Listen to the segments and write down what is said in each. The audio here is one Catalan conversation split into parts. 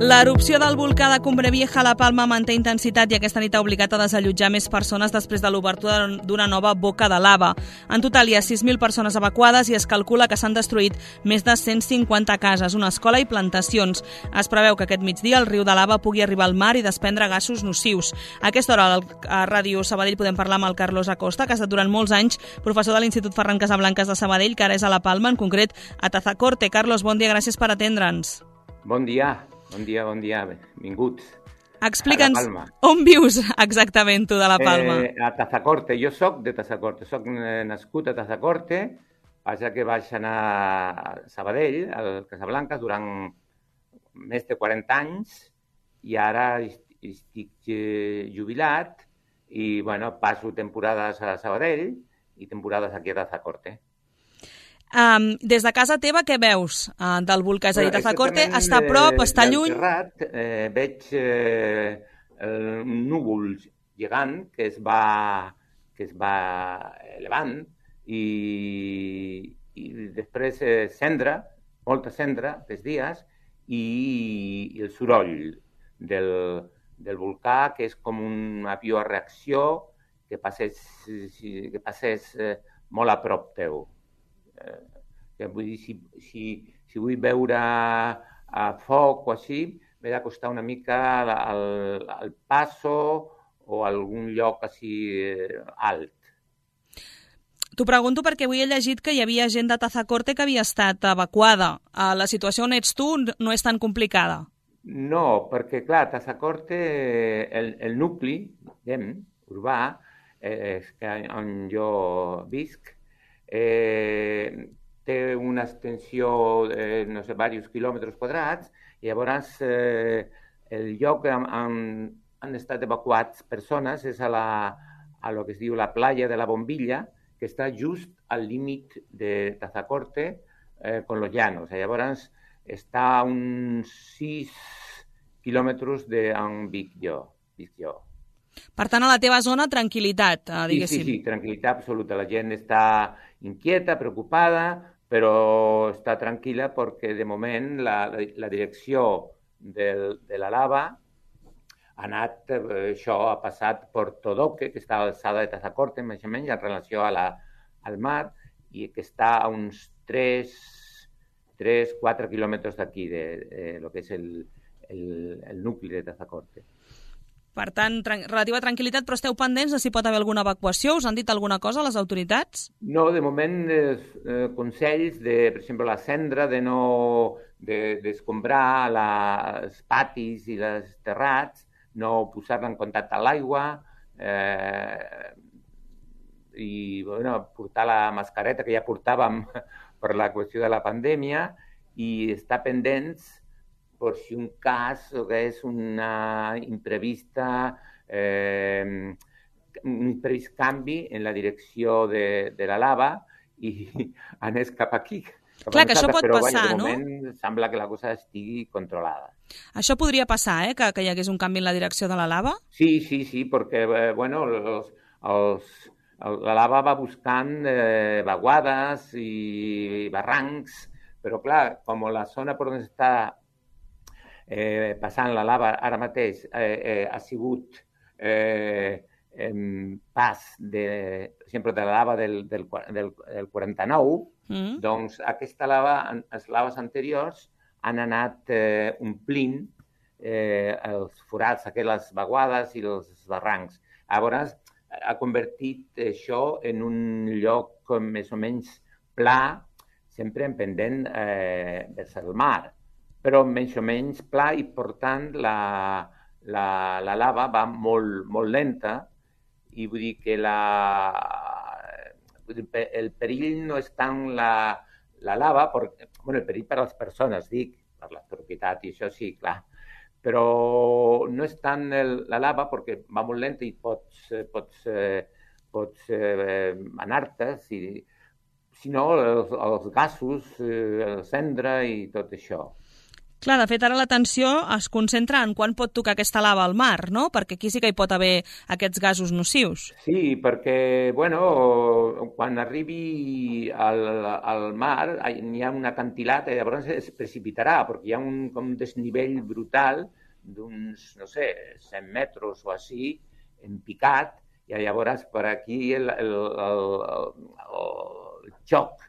L'erupció del volcà de Cumbre Vieja a La Palma manté intensitat i aquesta nit ha obligat a desallotjar més persones després de l'obertura d'una nova boca de lava. En total hi ha 6.000 persones evacuades i es calcula que s'han destruït més de 150 cases, una escola i plantacions. Es preveu que aquest migdia el riu de lava pugui arribar al mar i desprendre gasos nocius. A aquesta hora a Ràdio Sabadell podem parlar amb el Carlos Acosta, que ha estat durant molts anys professor de l'Institut Ferran Casablancas de Sabadell, que ara és a La Palma, en concret a Tazacorte. Carlos, bon dia, gràcies per atendre'ns. Bon dia, benvinguts. Explica'ns on vius exactament tu de La Palma. A Tazacorte, jo soc de Tazacorte, soc nascut a Tazacorte, passa que vaig anar a Sabadell, al Casablanca, durant més de 40 anys i ara estic jubilat i passo temporades a Sabadell i temporades aquí a Tazacorte. Des de casa teva què veus del volcà? És a dir, Tazacorte està a prop, està lluny? Terrat, veig un núvol gegant que es va elevant i després cendra, molta cendra dels dies i el soroll del volcà, que és com un avió a reacció que passés molt a prop teu. Vull dir, si vull veure a foc o així, m'he d'acostar una mica al Passo o a algun lloc així alt. T'ho pregunto perquè avui he llegit que hi havia gent de Tazacorte que havia estat evacuada. La situació on ets tu no és tan complicada? No, perquè, clar, Tazacorte, el nucli, urbà, on jo visc, té una extensió de, diversos quilòmetres quadrats, i llavors el lloc on han estat evacuats persones és a lo que es diu la playa de la Bombilla, que està just al límit de Tazacorte con los llanos. Llavors està a uns 6 quilòmetres d'on visc jo. Per tant, a la teva zona, tranquil·litat, diguéssim. Sí, tranquil·litat absoluta. La gent està inquieta, preocupada, però està tranquil·la perquè, de moment, la direcció de la lava ha passat per Todoque, que està a l'alçada de Tazacorte, més o menys, en relació al mar, i que està a uns 3-4 quilòmetres d'aquí, de lo que és el nucli de Tazacorte. Per tant, relativa tranquil·litat, però esteu pendents de si pot haver alguna evacuació? Us han dit alguna cosa a les autoritats? No, de moment, consells de, per exemple, la cendra, d'escombrar els patis i els terrats, no posar-la en contacte amb l'aigua i portar la mascareta que ja portàvem per la qüestió de la pandèmia i estar pendents per si un cas que és un imprevist canvi en la direcció de la lava i anés cap aquí. Clar, que això pot passar, no? Però de moment sembla que la cosa estigui controlada. Això podria passar, que hi hagués un canvi en la direcció de la lava? Sí, perquè la lava va buscant vaguades i barrancs, però clar, com la zona per on està passant la lava ara mateix ha sigut pas, per exemple, de la lava del 49, doncs aquesta lava, les laves anteriors han anat omplint els forats, les vaguades i els barrancs. Llavors, ha convertit això en un lloc més o menys pla, sempre en pendent vers el mar, però menys o menys pla i, per tant, la lava va molt lenta i vull dir que el perill no és tant la lava, el perill per a les persones, dic, per la propietat i això sí, clar, però no és tant la lava perquè va molt lenta i pots anar-te, sinó els gasos, la cendra i tot això. Clar, de fet, ara l'atenció es concentra en quan pot tocar aquesta lava al mar, no? Perquè aquí sí que hi pot haver aquests gasos nocius. Sí, perquè, quan arribi al mar hi ha un acantilat i llavors es precipitarà, perquè hi ha un desnivell brutal d'uns, no sé, 100 metres o així, en picat, i llavors per aquí el xoc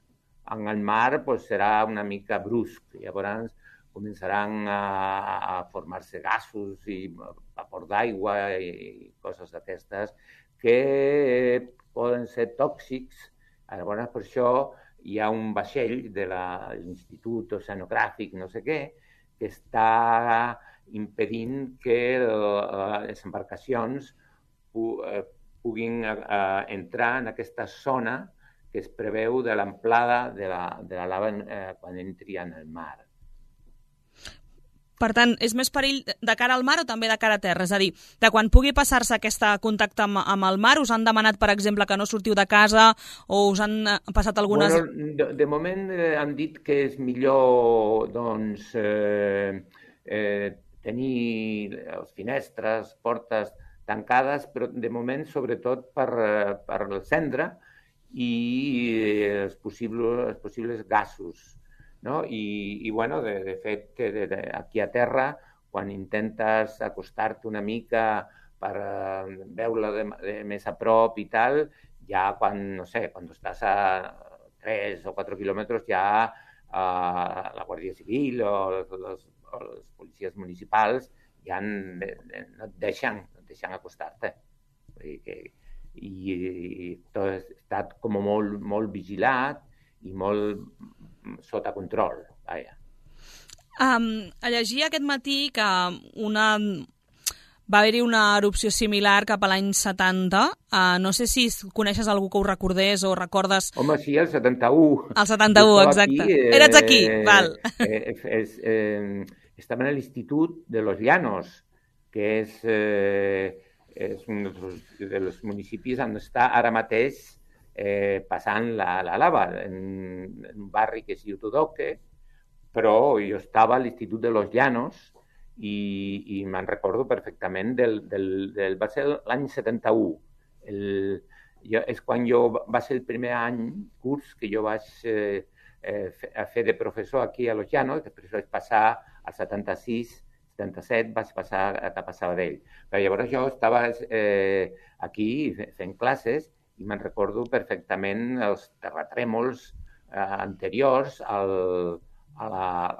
en el mar serà una mica brusc. Llavors començaran a formar-se gasos i vapor d'aigua i coses d'aquestes que poden ser tòxics. Llavors, per això hi ha un vaixell de l'Institut Oceanogràfic, no sé què, que està impedint que les embarcacions puguin entrar en aquesta zona que es preveu de l'amplada de la lava quan entri en el mar. Per tant, és més perill de cara al mar o també de cara a terra? És a dir, de quan pugui passar-se aquest contacte amb el mar, us han demanat, per exemple, que no sortiu de casa o us han passat algunes... De moment han dit que és millor tenir les finestres, portes tancades, però de moment sobretot per el cendra i els possibles gasos. No? I de fet, aquí a terra, quan intentes acostar-te una mica per veure-la més a prop i tal, ja quan estàs a 3 o 4 quilòmetres ja la Guàrdia Civil o les policies municipals ja no et deixen acostar-te. I tot ha estat com molt vigilat i molt sota control. Llegia aquest matí que va haver-hi una erupció similar cap a l'any 70. No sé si coneixes algú que ho recordés o recordes... Home, sí, el 71. El 71, exacte. Eres aquí, val. Estava en l'Institut de Los Llanos, que és un dels municipis on està ara mateix passant la lava, en un barri que es diu Tudoque, però jo estava a l'Institut de Los Llanos i me'n recordo perfectament va ser l'any 71. És quan va ser el primer curs que jo vaig fer de professor aquí a Los Llanos, després vaig passar al 76, 77, vaig passar cap a Sabadell. Però llavors jo estava aquí fent classes i me'n recordo perfectament els terratrèmols anteriors a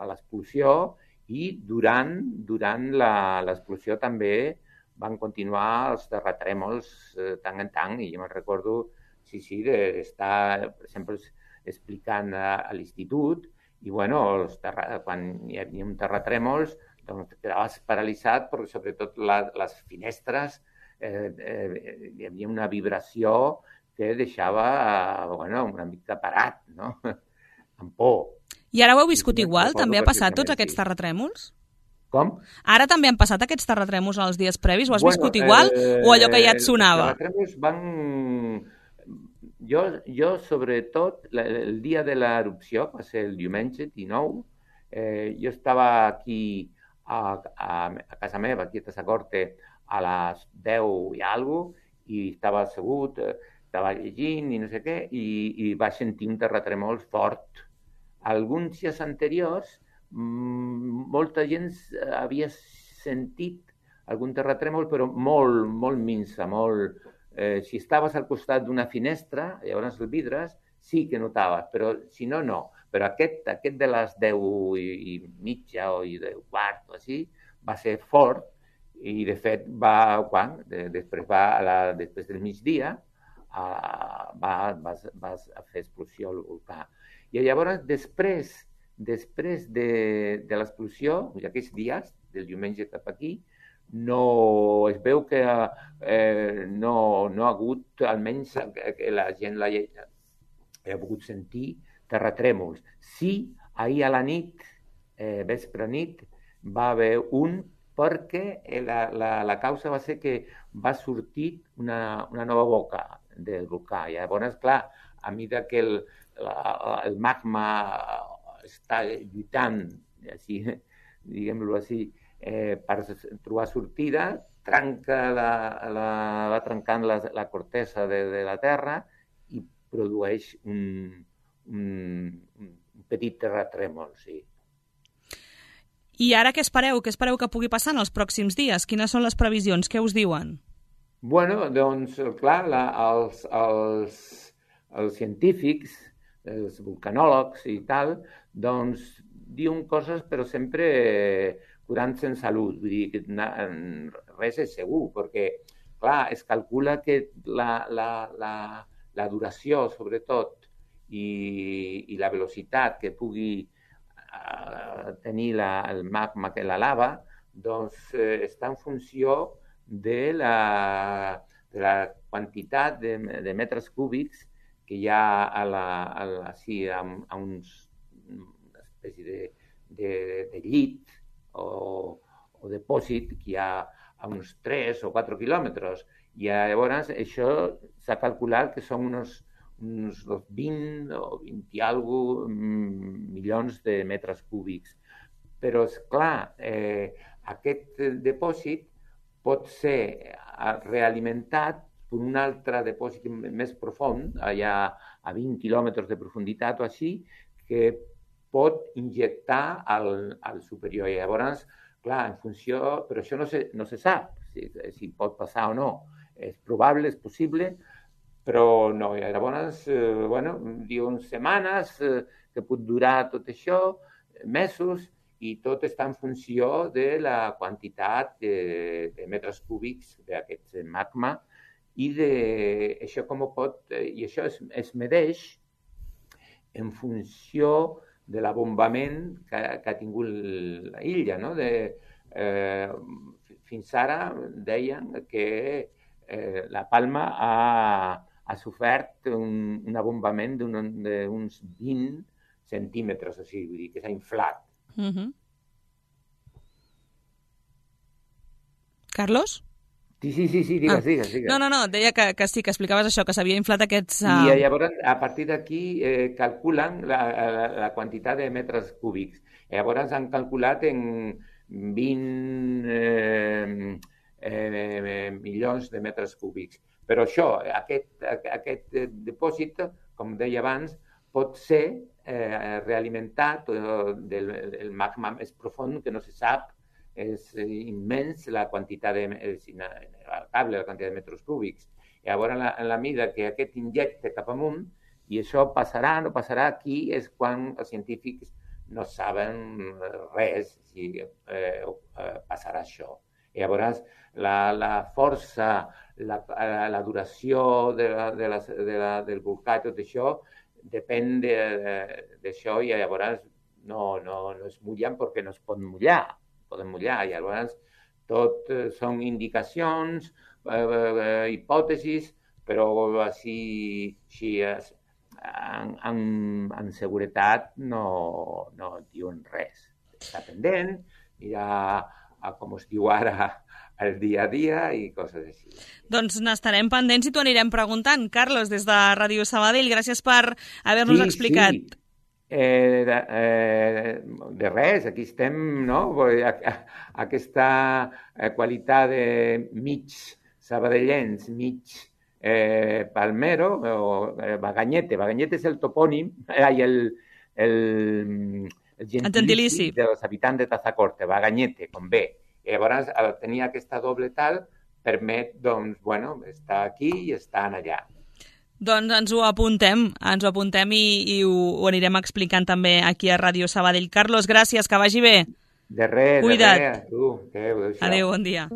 l'explosió i durant l'explosió també van continuar els terratrèmols tant en tant i jo me'n recordo d'estar, per exemple, explicant a l'institut i quan hi havia un terratrèmols doncs quedaves paralitzat perquè sobretot les finestres hi havia una vibració que deixava una mica parat, no? Amb por. I ara ho heu viscut igual? També ha passat tots aquests terratrèmols? Com? Ara també han passat aquests terratrèmols els dies previs? Ho has viscut igual o allò que ja et sonava? Els terratrèmols van... Jo sobretot, el dia de l'erupció, va ser el diumenge 19, jo estava aquí a casa meva, aquí a Tasacorte, a les 10 i alguna cosa, i estava assegut, estava llegint i no sé què, i vaig sentir un terratrèmol fort. Alguns dies anteriors, molta gent havia sentit algun terratrèmol, però molt minsa, molt... Si estaves al costat d'una finestra, llavors els vidres, sí que notaves, però si no, no. Però aquest de les 10 i mitja o 10 quart o així, va ser fort i, de fet, després del migdia va fer explosió al volcà. I llavors, després de l'explosió, aquests dies, del diumenge cap aquí, es veu que no ha hagut, almenys que la gent ha pogut sentir terratrèmols. Sí, ahir a la nit, vespre nit, va haver un perquè la causa va ser que va sortir una nova boca del volcà. I llavors, clar, a mesura que el magma està lluitant així, diguem-ho així, per trobar sortida, va trencant la cortesa de la terra i produeix un petit terratrèmol, sí. I ara què espereu? Què espereu que pugui passar en els pròxims dies? Quines són les previsions? Què us diuen? Bueno, doncs, clar, els científics, els vulcanòlegs i tal, doncs diuen coses però sempre curant-se en salut. Vull dir que res és segur, perquè, clar, es calcula que la duració, sobretot, i la velocitat que pugui tenir el magma, que la lava, doncs està en funció de la quantitat de metres cúbics que hi ha a una espècie de llit o depòsit que hi ha a uns 3 o 4 quilòmetres. I llavors això s'ha calculat que són uns 20 o 20 i alguna milions de metres cúbics. Però, esclar, aquest depòsit pot ser realimentat per un altre depòsit més profund, allà a 20 quilòmetres de profunditat o així, que pot injectar al superior. I llavors, clar, en funció... Però això no se sap si pot passar o no. És probable, és possible, però no. I llavors, diuen setmanes que pot durar tot això, mesos, i tot està en funció de la quantitat de metres cúbics d'aquest magma i això com ho pot... I això es medeix en funció de l'abombament que ha tingut l'illa, no? Fins ara deien que la Palma ha sofert un abombament d'uns 20 centímetres, o sigui, vull dir que s'ha inflat. Carlos? Sí, digues. No, deia que sí, que explicaves això, que s'havia inflat aquests... I llavors, a partir d'aquí, calculen la quantitat de metres cúbics. Llavors han calculat en 20 milions de metres cúbics. Però això, aquest depòsit, com deia abans, pot ser realimentat del magma més profund, que no se sap. És immens la quantitat de metres cúbics. Llavors, en la mida que aquest injecta cap amunt, i això passarà, no passarà, aquí és quan els científics no saben res si passarà això. Llavors, la força, la duració del volcà i tot això depèn d'això, i llavors no es mullen perquè no es pot mullar. Poden mullar, i llavors tot són indicacions, hipòtesis, però així en seguretat no diuen res. Està pendent, mirar com es diu ara el dia a dia i coses així. Doncs n'estarem pendents i t'ho anirem preguntant. Carlos, des de Ràdio Sabadell, gràcies per haver-nos explicat. Sí. De res, aquí estem, no? Aquesta qualitat de mig sabadellencs, mig palmero, o Baganyete. Baganyete és el topònim, el gentilici dels habitants de Tazacorte, Baganyete, com bé. I llavors, tenir aquesta doble tal permet, doncs, estar aquí i estar allà. Doncs ens ho apuntem i ho anirem explicant també aquí a Ràdio Sabadell. Carlos, gràcies, que vagi bé. De res, cuida't. De res. Adéu, adéu, bon dia.